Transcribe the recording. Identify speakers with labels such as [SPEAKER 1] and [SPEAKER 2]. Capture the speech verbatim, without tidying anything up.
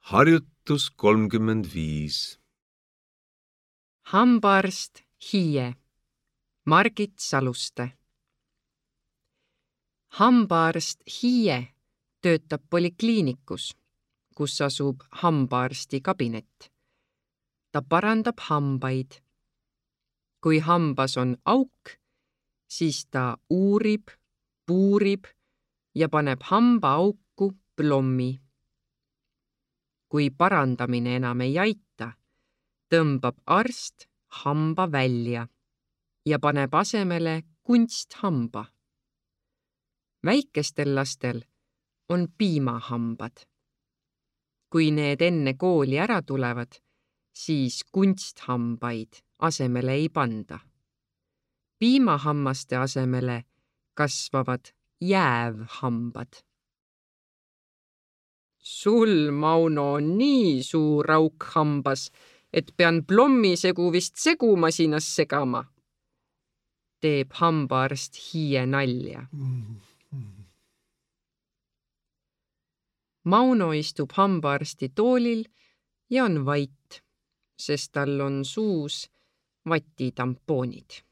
[SPEAKER 1] Harjutus kolmkümmend viis.
[SPEAKER 2] Hambaarst Hiie, Margit Saluste. Hambaarst Hiie töötab polikliinikus, kus asub hambaarsti kabinet. Ta parandab hambaid. Kui hambas on auk, siis ta uurib, puurib ja paneb hamba auku plommi. Kui parandamine enam ei aita, tõmbab arst hamba välja ja paneb asemele kunsthamba. Väikestel lastel on piimahambad. Kui need enne kooli ära tulevad, siis kunsthambaid asemele ei panda. Piimahammaste asemele kasvavad jäävhambad. Sul, Mauno, on nii suur auk hambas, et pean plommisegu vist segumasinas segama. Teeb hambaarst Hiie nalja. Mauno istub hambaarsti toolil ja on vait, sest tal on suus vatitampoonid.